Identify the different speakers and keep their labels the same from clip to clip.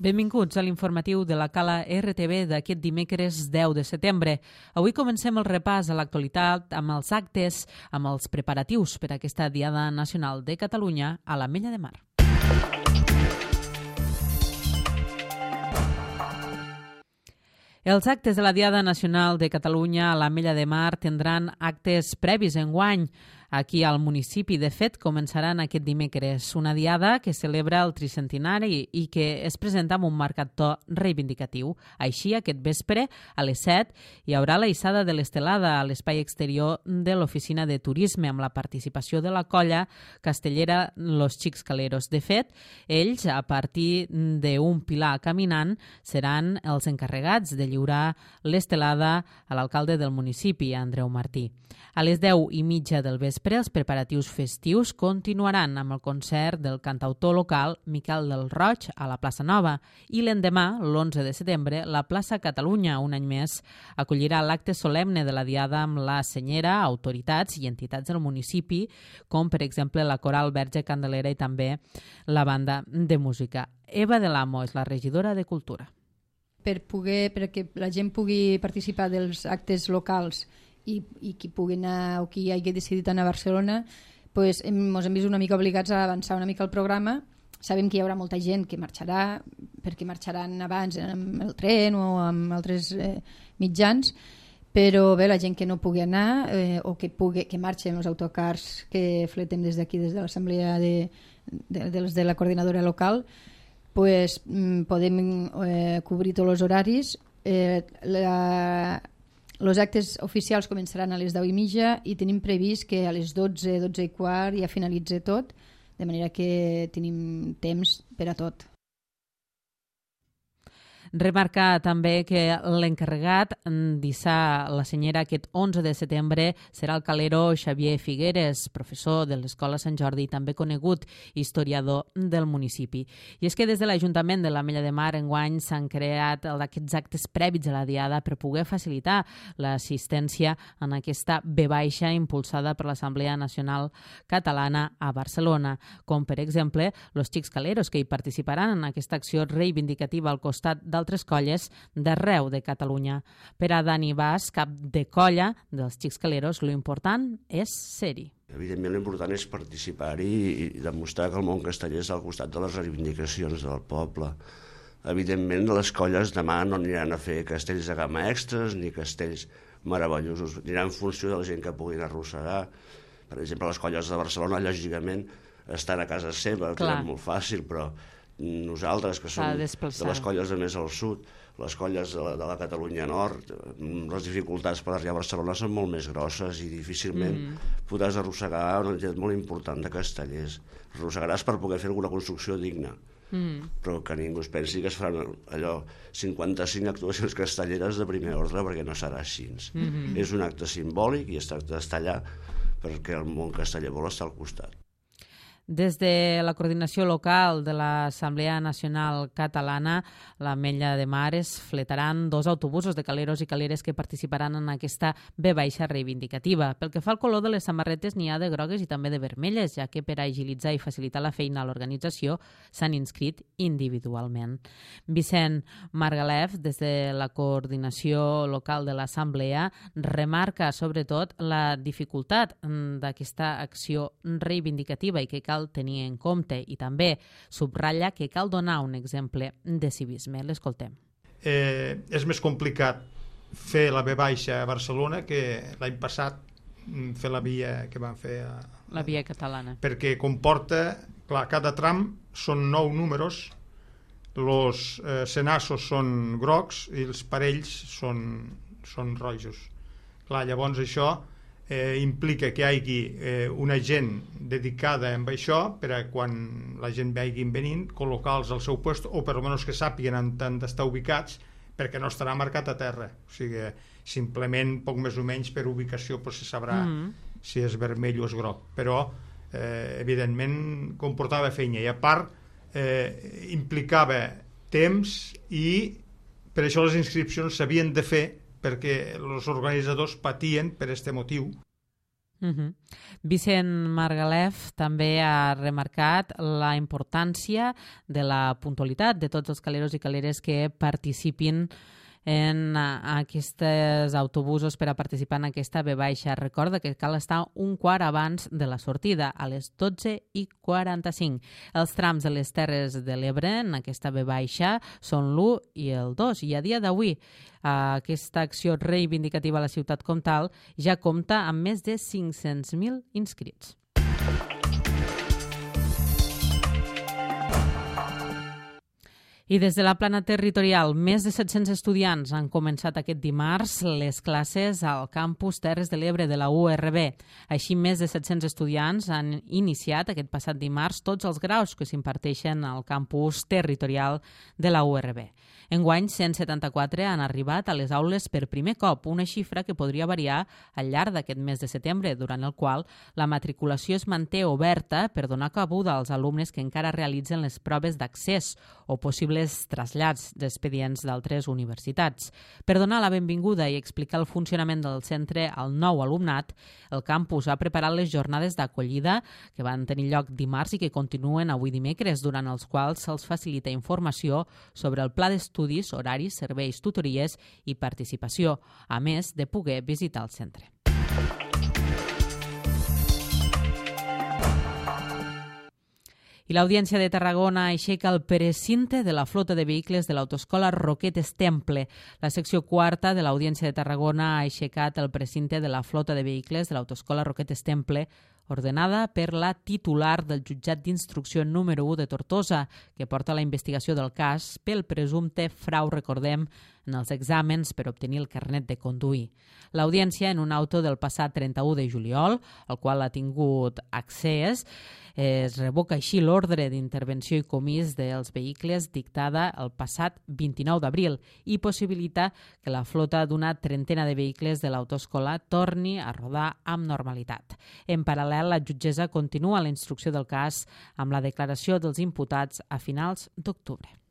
Speaker 1: Benvinguts a l'informatiu de la Cala RTV d'aquest dimecres 10 de setembre. Avui comencem el repàs a l'actualitat amb els actes, amb els preparatius per a aquesta Diada Nacional de Catalunya a l'Ametlla de Mar. Els actes de la Diada Nacional de Catalunya a l'Ametlla de Mar tindran actes previs enguany. Aquí al municipi, de fet, començaran aquest dimecres una diada que celebra el tricentenari i que es presenta amb un marcat to reivindicatiu. Així, aquest vespre, a les 7, hi haurà la hissada de l'estelada a l'espai exterior de l'Oficina de Turisme amb la participació de la colla castellera Los Xics Caleros. De fet, ells, a partir d'un pilar caminant, seran els encarregats de lliurar l'estelada a l'alcalde del municipi, Andreu Martí. A les 10:30 del vespre, els preparatius festius continuaran amb el concert del cantautor local Miquel del Roig a la plaça Nova i l'endemà, l'11 de setembre, la plaça Catalunya, un any més, acollirà l'acte solemne de la Diada amb la senyera, autoritats i entitats del municipi, com per exemple la Coral Verge Candelera i també la banda de música. Eva de l'Amo és la regidora de Cultura.
Speaker 2: Perquè la gent pugui participar dels actes locals i qui pugui anar o qui hagi decidit anar a Barcelona, ens hem vist una mica obligats a avançar una mica el programa. Sabem que hi haurà molta gent que marxarà, perquè marxaran abans amb el tren o amb altres mitjans, però bé, la gent que no pugui anar o que marxen els autocars que fletem des d'aquí, des de l'assemblea de la coordinadora local, podem cobrir tots els horaris. Els actes oficials començaran a les 10:30 i tenim previst que a les 12, 12:15 ja finalitzi tot, de manera que tenim temps per a tot.
Speaker 1: Remarcar també que l'encarregat d'hissar la senyera aquest 11 de setembre serà el calero Xavier Figueres, professor de l'Escola Sant Jordi i també conegut historiador del municipi. I és que des de l'Ajuntament de l'Ametlla de Mar enguany s'han creat aquests actes prèvits a la Diada per poder facilitar l'assistència en aquesta V impulsada per l'Assemblea Nacional Catalana a Barcelona, com per exemple los Xics Caleros, que hi participaran en aquesta acció reivindicativa al costat d'altres colles d'arreu de Catalunya. Per a Dani Bas, cap de colla dels Xics Caleros, l'important és ser-hi.
Speaker 3: Evidentment, l'important és participar-hi i demostrar que el món casteller és al costat de les reivindicacions del poble. Evidentment, les colles demà no aniran a fer castells de gamma extras ni castells meravellosos. Aniran en funció de la gent que puguin arrossegar. Per exemple, les colles de Barcelona, lògicament, estan a casa seva, que és molt fàcil, però nosaltres, que som de les colles de més al sud, les colles de la Catalunya Nord, les dificultats per arribar a Barcelona són molt més grosses i difícilment podràs arrossegar una entitat molt important de castellers. Arrossegaràs per poder fer alguna construcció digna, però que ningú es pensi que es faran allò 55 actuacions castelleres de primer ordre, perquè no serà així. És un acte simbòlic i es tracta d'estar allà perquè el món casteller vol estar al costat.
Speaker 1: Des de la coordinació local de l'Assemblea Nacional Catalana, l'Ametlla de Mar es fletaran 2 autobusos de caleros i caleres que participaran en aquesta V reivindicativa. Pel que fa al color de les samarretes, n'hi ha de grogues i també de vermelles, ja que per agilitzar i facilitar la feina a l'organització s'han inscrit individualment. Vicent Margalef, des de la coordinació local de l'Assemblea, remarca sobretot la dificultat d'aquesta acció reivindicativa i que cal tenir en compte, i també subratlla que cal donar un exemple de civisme. L'escoltem.
Speaker 4: És més complicat fer la V a Barcelona que l'any passat fer la via que van fer
Speaker 1: la via catalana,
Speaker 4: perquè comporta, clar, cada tram són 9 números, els senassos són grocs i els parells són rojos. Clar, llavors això implica que hi hagi una gent dedicada a això per a quan la gent vagi venint, col·locar-los al seu lloc o per almenys que sàpiguen on han d'estar ubicats, perquè no estarà marcat a terra. O sigui, simplement, poc més o menys per ubicació se sabrà si és vermell o és groc. Però, evidentment, comportava feina i a part implicava temps i per això les inscripcions s'havien de fer perquè els organitzadors patien per aquest motiu.
Speaker 1: Vicent Margalef també ha remarcat la importància de la puntualitat de tots els caleros i caleres que participin en aquests autobusos per a participar en aquesta V baixa. Recorda que cal estar un quart abans de la sortida, a les 12:45. Els trams de les Terres de l'Ebre en aquesta V baixa són l'1 i el 2, i a dia d'avui aquesta acció reivindicativa a la ciutat comtal ja compta amb més de 500.000 inscrits. I des de la plana territorial, més de 700 estudiants han començat aquest dimarts les classes al campus Terres de l'Ebre de la URB. Així, més de 700 estudiants han iniciat aquest passat dimarts tots els graus que s'imparteixen al campus territorial de la URB. Enguany, 174 han arribat a les aules per primer cop, una xifra que podria variar al llarg d'aquest mes de setembre, durant el qual la matriculació es manté oberta per donar cabuda als alumnes que encara realitzen les proves d'accés o possibles trasllats d'expedients d'altres universitats. Per donar la benvinguda i explicar el funcionament del centre al nou alumnat, el campus ha preparat les jornades d'acollida que van tenir lloc dimarts i que continuen avui dimecres, durant els quals se'ls facilita informació sobre el pla d'estudis, horaris, serveis, tutories i participació, a més de poder visitar el centre. I l'Audiència de Tarragona aixeca el precinte de la flota de vehicles de l'autoescola Roquetes Temple. La secció quarta de l'Audiència de Tarragona ha aixecat el precinte de la flota de vehicles de l'autoescola Roquetes Temple, ordenada per la titular del jutjat d'instrucció número 1 de Tortosa, que porta la investigació del cas pel presumpte frau, recordem, en els exàmens per obtenir el carnet de conduir. L'audiència, en un auto del passat 31 de juliol, al qual ha tingut accés, es revoca així l'ordre d'intervenció i comís dels vehicles dictada el passat 29 d'abril i possibilita que la flota d'una trentena de vehicles de l'autoescola torni a rodar amb normalitat. En paral·lel, la jutgessa continua la instrucció del cas amb la declaració dels imputats a finals d'octubre.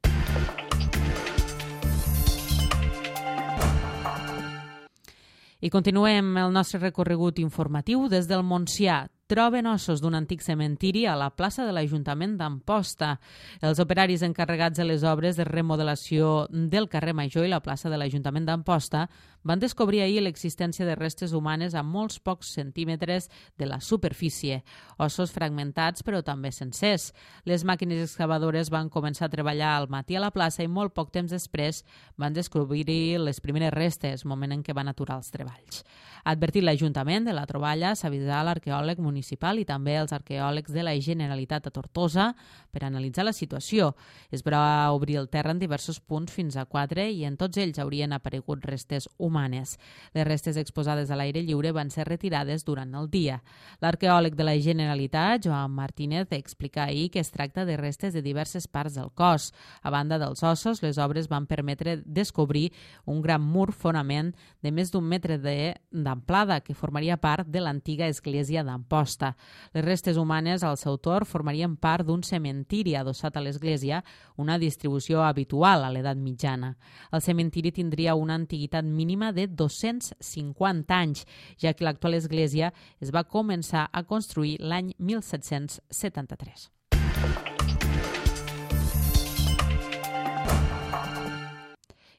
Speaker 1: I continuem el nostre recorregut informatiu des del Montsià. Troben ossos d'un antic cementiri a la plaça de l'Ajuntament d'Amposta. Els operaris encarregats de les obres de remodelació del carrer Major i la plaça de l'Ajuntament d'Amposta van descobrir ahir l'existència de restes humanes a molts pocs centímetres de la superfície, ossos fragmentats però també sencers. Les màquines excavadores van començar a treballar al matí a la plaça i molt poc temps després van descobrir les primeres restes, moment en què van aturar els treballs. Ha advertit l'Ajuntament de la troballa, s'avisarà l'arqueòleg municipal i també els arqueòlegs de la Generalitat a Tortosa per analitzar la situació. Es va obrir el terra en diversos punts fins a 4 i en tots ells haurien aparegut restes humanes. Les restes exposades a l'aire lliure van ser retirades durant el dia. L'arqueòleg de la Generalitat, Joan Martínez, explica ahir que es tracta de restes de diverses parts del cos. A banda dels ossos, les obres van permetre descobrir un gran mur fonament de més d'un metre d'amplada que formaria part de l'antiga església d'Amposta. Les restes humanes al seu torn formarien part d'un cementiri adossat a l'església, una distribució habitual a l'edat mitjana. El cementiri tindria una antiguitat mínima de 250 anys, ja que l'actual església es va començar a construir l'any 1773.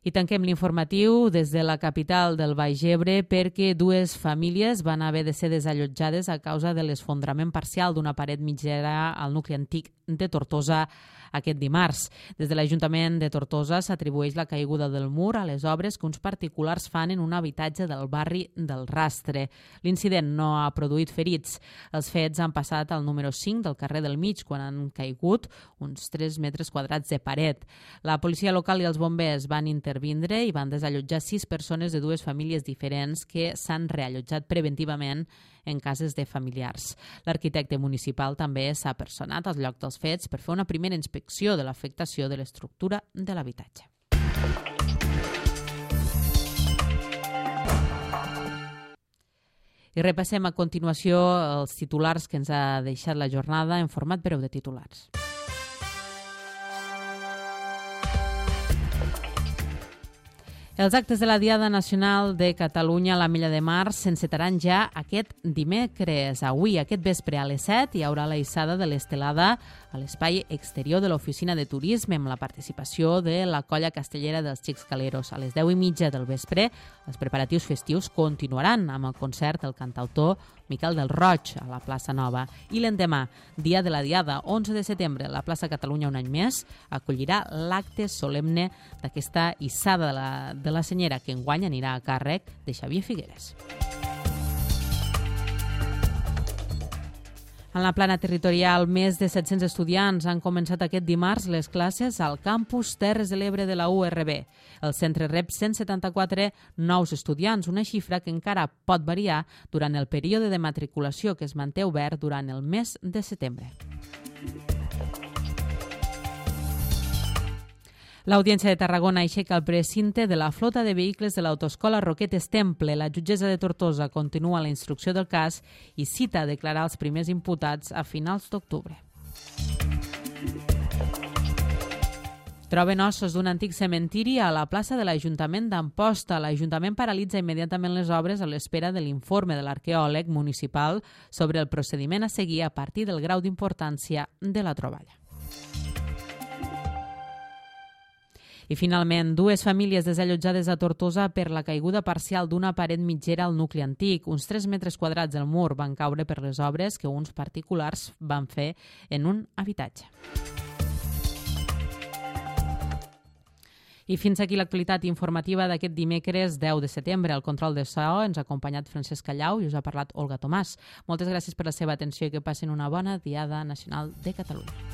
Speaker 1: I tanquem l'informatiu des de la capital del Baix Ebre perquè dues famílies van haver de ser desallotjades a causa de l'esfondrament parcial d'una paret mitgera al nucli antic de Tortosa aquest dimarts. Des de l'Ajuntament de Tortosa s'atribueix la caiguda del mur a les obres que uns particulars fan en un habitatge del barri del Rastre. L'incident no ha produït ferits. Els fets han passat al número 5 del carrer del Mig, quan han caigut uns 3 metres quadrats de paret. La policia local i els bombers van intervindre i van desallotjar 6 persones de dues famílies diferents que s'han reallotjat preventivament en cases de familiars. L'arquitecte municipal també s'ha personat al lloc dels fets per fer una primera inspecció de l'afectació de l'estructura de l'habitatge. I repassem a continuació els titulars que ens ha deixat la jornada en format breu de titulars. Els actes de la Diada Nacional de Catalunya a l'Ametlla de Mar s'encetaran ja aquest dimecres. Avui, aquest vespre, a les 7, hi haurà la hissada de l'estelada a l'espai exterior de l'Oficina de Turisme amb la participació de la colla castellera dels Xics Caleros. A les 10:30 del vespre, els preparatius festius continuaran amb el concert del cantautor Miquel del Roig a la plaça Nova. I l'endemà, dia de la Diada, 11 de setembre, la plaça Catalunya un any més acollirà l'acte solemne d'aquesta hissada de la senyera que enguany anirà a càrrec de Xavier Figueres. En la plana territorial, més de 700 estudiants han començat aquest dimarts les classes al campus Terres de l'Ebre de la URB. El centre rep 174 nous estudiants, una xifra que encara pot variar durant el període de matriculació que es manté obert durant el mes de setembre. L'Audiència de Tarragona aixeca el precinte de la flota de vehicles de l'autoescola Roquetes Temple. La jutgessa de Tortosa continua la instrucció del cas i cita a declarar els primers imputats a finals d'octubre. Troben ossos d'un antic cementiri a la plaça de l'Ajuntament d'Amposta. L'Ajuntament paralitza immediatament les obres a l'espera de l'informe de l'arqueòleg municipal sobre el procediment a seguir a partir del grau d'importància de la troballa. I finalment, dues famílies desallotjades a Tortosa per la caiguda parcial d'una paret mitgera al nucli antic. Uns 3 metres quadrats del mur van caure per les obres que uns particulars van fer en un habitatge. I fins aquí l'actualitat informativa d'aquest dimecres 10 de setembre. Al control de so ens ha acompanyat Francesc Callau i us ha parlat Olga Tomàs. Moltes gràcies per la seva atenció i que passin una bona Diada Nacional de Catalunya.